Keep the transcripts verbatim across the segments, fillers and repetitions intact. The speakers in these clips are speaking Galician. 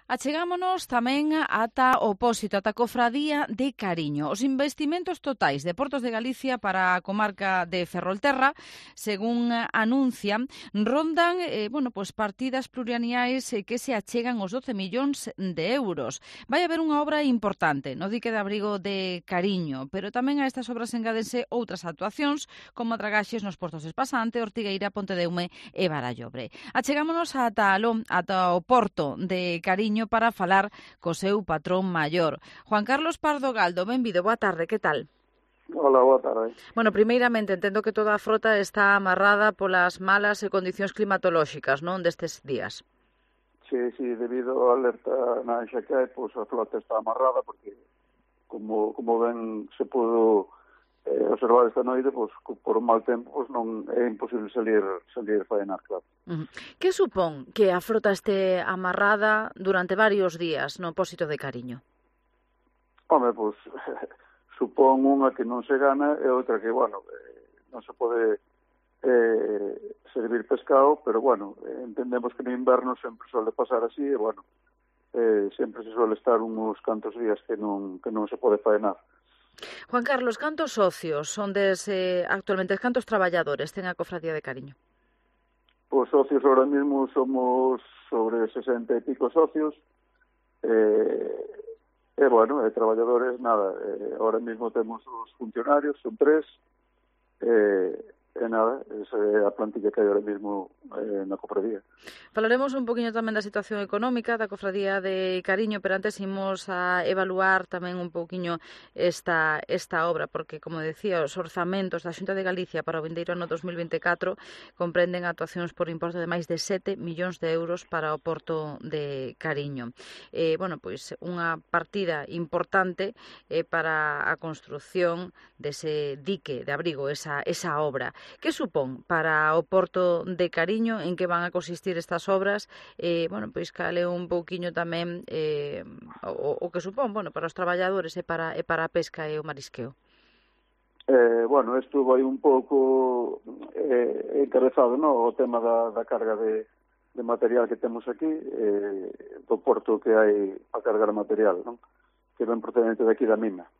Achegámonos tamén ata o pósito, ata a Cofradía de Cariño. Os investimentos totais de Portos de Galicia para a comarca de Ferrolterra, según anuncian, rondan eh, bueno, pues partidas plurianuais eh, que se achegan os doce millóns de euros. Vai haber unha obra importante no dique de abrigo de Cariño, pero tamén a estas obras engádense outras actuacións, como dragaxes nos portos de Espasante, Ortigueira, Pontedeume e Barallobre. Achegámonos ata aló, ata o porto de Cariño para falar co seu patrón maior. Juan Carlos Pardo Galdo, benvido, boa tarde, que tal? Hola, boa tarde. Bueno, primeiramente, entendo que toda a frota está amarrada polas malas e condicións climatolóxicas, non, destes días. Sí, sí, debido á alerta na Anxa que hai, pois a flota está amarrada porque, como, como ben se pudo eh, observar esta noite, pois por un mal tempo pois non é imposible salir salir faenar, claro. Uh-huh. Que supón que a frota este amarrada durante varios días no pósito de Cariño? Home, pois supón unha que non se gana e outra que, bueno, eh, non se pode eh, servir pescado, pero, bueno, eh, entendemos que no inverno sempre suele pasar así e, bueno, eh, sempre se suele estar uns cantos días que non, que non se pode faenar. Juan Carlos, cantos socios son des, eh, actualmente, cantos traballadores ten a Cofradía de Cariño? Os socios ahora mismo somos sobre sesenta e pico socios, eh, e, bueno, e traballadores, nada, eh, ahora mismo temos os funcionarios, son tres, eh, e nada, esa é a plantilla que hai ahora mismo eh, na cofradía. Falaremos un poquinho tamén da situación económica da Cofradía de Cariño, pero antes imos a evaluar tamén un poquinho esta, esta obra, porque, como decía, os orzamentos da Xunta de Galicia para o vindeiro ano dos mil vinte e catro comprenden actuacións por importe de máis de sete millóns de euros para o Porto de Cariño. Eh, bueno, pois unha partida importante eh, para a construción dese dique de abrigo, esa, esa obra. Que supón para o Porto de Cariño, en que van a consistir estas obras, eh, bueno, pois cale un pouquiño tamén eh, o, o que supón, bueno, para os traballadores e para, e para a pesca e o marisqueo? Eh, bueno, isto vai un pouco eh, encabezado, no? O tema da, da carga de, de material que temos aquí, eh, do porto que hai a cargar material, non? Que ven procedente daqui da mina.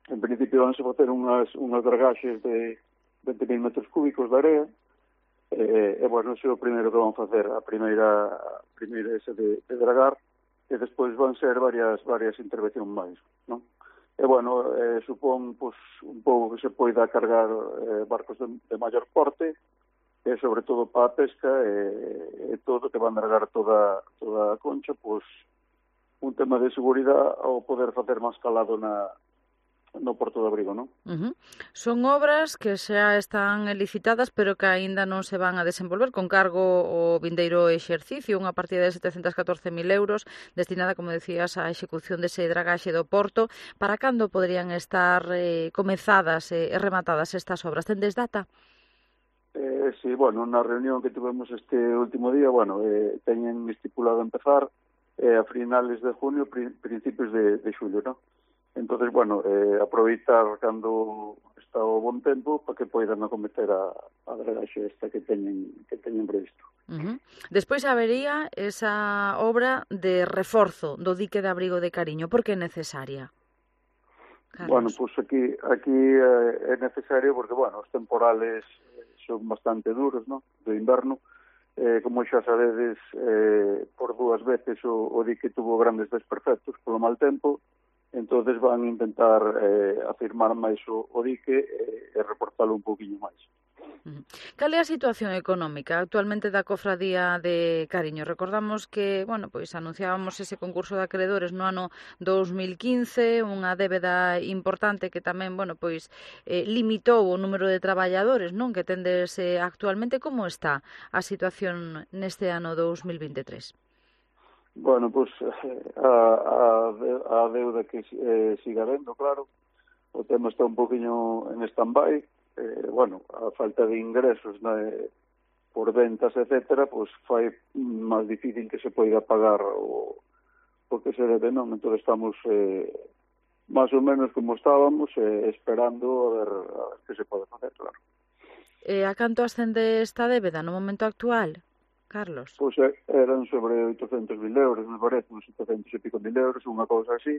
En principio van a facer unhas, unhas dragaxes de vinte mil metros cúbicos de area, e, e bueno, ese é o primeiro que van facer, a primeira, a primeira ese de, de dragar, e despois van ser varias varias intervencións máis, non? E bueno, eh, supón pues, un pouco que se poida cargar eh, barcos de, de maior porte, e sobre todo para a pesca, e, e todo, que van dragar toda, toda a concha, pues, un tema de seguridade ao poder facer máis calado na no Porto de Abrigo, non? Uh-huh. Son obras que xa están licitadas, pero que aínda non se van a desenvolver con cargo ao vindeiro exercicio, unha partida de setecentos e catorce mil euros destinada, como decías, á execución dese dragaxe do Porto. Para cando poderían estar eh, comezadas e eh, rematadas estas obras? Tendes data? Eh, sí, bueno, na reunión que tivemos este último día, bueno, eh, teñen estipulado empezar eh, a finales de junio, pri principios de, de xulio, non? Entonces, bueno, eh, aproveitar cando está o bon tempo para que poidan acometer a, a dragaxe esta que teñen, que teñen previsto. Uh-huh. Despois habería esa obra de reforzo do dique de abrigo de Cariño. Por que é necesaria? Carlos. Bueno, pues aquí, aquí eh, é necesario porque, bueno, os temporales son bastante duros, ¿no?, do inverno. Eh, como xa sabedes, eh, por dúas veces o, o dique tuvo grandes desperfectos polo mal tempo. Entonces van a intentar eh, afirmar máis o, o dique e, e reportalo un poquinho máis. Cal é a situación económica actualmente da Cofradía de Cariño? Recordamos que, bueno, pois anunciábamos ese concurso de acreedores no ano dos mil quince, unha débeda importante que tamén, bueno, pois eh, limitou o número de traballadores, non, que tendes eh, actualmente. Como está a situación neste ano dos mil vinte e tres? Bueno, pues a, a, a deuda que eh, siga vendo, claro. O tema está un poquinho en stand-by. Eh, bueno, a falta de ingresos, né, por ventas, etcétera, pues fai máis difícil que se poida pagar o, o que se debe, non? Entón estamos eh, máis ou menos como estábamos, eh, esperando a ver, a ver que se pode facer, claro. E a canto ascende esta débeda no momento actual? Carlos? Pois eran sobre oitocentos mil euros, me parece, uns oitocentos e pico mil euros, unha cousa así.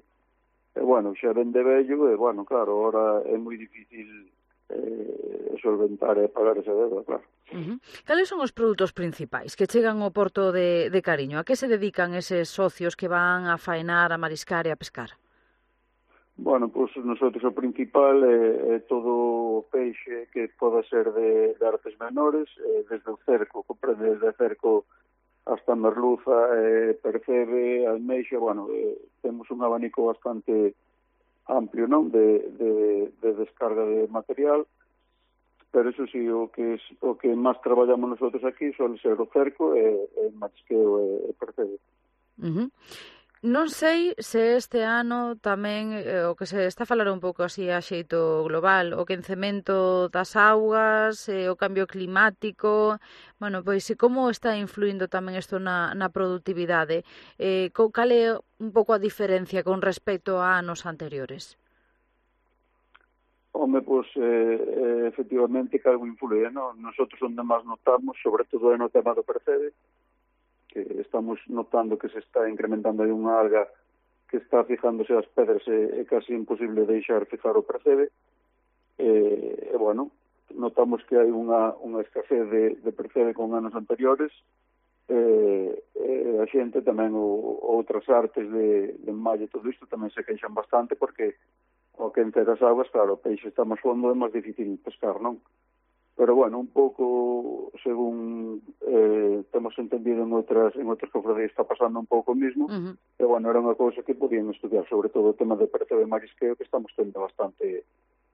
E, bueno, xa vende vello, e, bueno, claro, ahora é moi difícil eh, solventar e pagar esa deuda, claro. Uh-huh. Cales son os produtos principais que chegan ao porto de, de Cariño? A que se dedican eses socios que van a faenar, a mariscar e a pescar? Bueno, pois nosotros o principal é, é todo o peixe que poda ser de, de artes menores, eh, desde o cerco, comprende desde cerco hasta merluza, eh, percebe, almeixa, bueno, eh, temos un abanico bastante amplio, non, de, de, de descarga de material, pero eso sí, o que es, o que máis traballamos nosotros aquí son ser o cerco e, e marisqueo e, e percebe. Uh-huh. Non sei se este ano tamén eh, o que se está a falar un pouco así a xeito global, o quencemento das augas, eh, o cambio climático, bueno, pois e como está influindo tamén isto na, na productividade? Eh, cal é un pouco a diferencia con respecto a anos anteriores? Home, pois, eh, efectivamente, que algo influye, non? Nosotros onde máis notamos, sobre todo no tema do percebe, que estamos notando que se está incrementando aí unha alga que está fijándose as pedras e é casi imposible deixar fijar o percebe. E, e bueno, notamos que hai unha, unha escasez de, de percebe con anos anteriores. E, e a xente tamén, o, outras artes de, de malla e todo isto tamén se queixan bastante porque ao quencer as augas, claro, o peixe está máis fondo, é máis difícil pescar, non? Pero, bueno, un pouco, según eh, temos entendido en outras en outras cofradías, está pasando un pouco o mismo. Uh-huh. E, bueno, era unha cousa que podían estudiar, sobre todo o tema de percebe e marisqueo, que estamos tendo bastante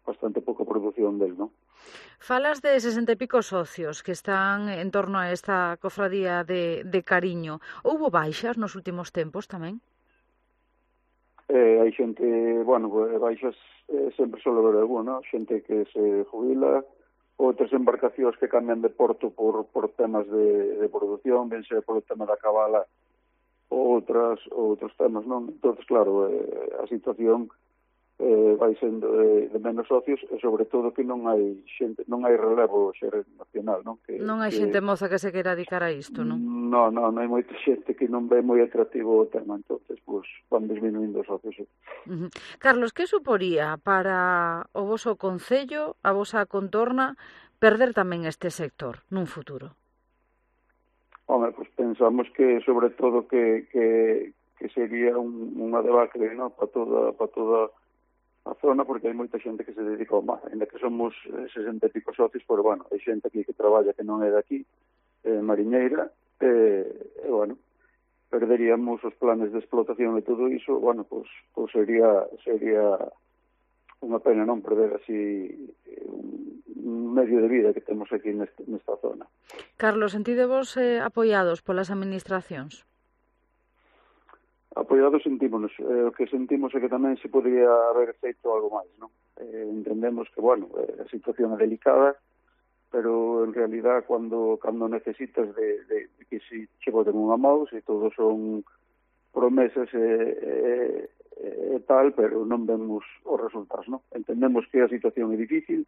bastante pouca produción del, non? Falas de sesenta e pico socios que están en torno a esta cofradía de, de Cariño. Houbo baixas nos últimos tempos tamén? Eh, hai xente, bueno, baixas eh, sempre solo ver alguna, xente que se jubila, outras embarcacións que cambian de porto por, por temas de, de produción, ben sea polo tema da cabala ou outras, outros temas, non? Entón, claro, eh, a situación eh, vai sendo de, de menos socios e, sobre todo, que non hai xente, non hai relevo xeracional, non? Que, non hai que, xente moza que se queira dedicar a isto, non? Non, non, non hai moita xente que non ve moi atractivo o tema, entonces, pois, van disminuindo os socios. Sí. Uh-huh. Carlos, que suporía para o voso concello, a vosa contorna, perder tamén este sector nun futuro? Home, pois pensamos que, sobre todo, que, que, que sería un, unha debacle, non? Para toda, para toda a zona, porque hai moita xente que se dedica ao mar, ainda que somos sesenta e pico socios, pero, bueno, hai xente aquí que traballa que non é daqui, eh, mariñeira, e, eh, bueno, perderíamos os planes de explotación e todo iso, bueno, pois, pois sería sería unha pena non perder así un medio de vida que temos aquí neste, nesta zona. Carlos, sentidevos eh, apoiados polas administracións? Apoiados sentímonos. Eh, o que sentimos é que tamén se podría haber feito algo máis, non? Eh, entendemos que, bueno, eh, a situación é delicada, pero en realidad cando cando necesitas de, de, de que si che boten unha mão, se todos son promesas e, e, e tal, pero non vemos os resultados, non? Entendemos que a situación é difícil,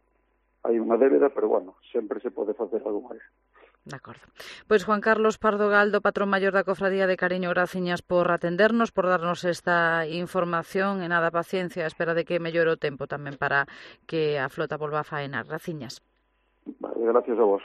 hai unha débeda, pero bueno, sempre se pode facer algo máis. De acordo. Pois Juan Carlos Pardo Galdo, patrón maior da Cofradía de Cariño, graciñas por atendernos, por darnos esta información e nada, paciencia, a espera de que mellore o tempo tamén para que a flota volva a faenar. Graciñas. Vale, gracias a vos.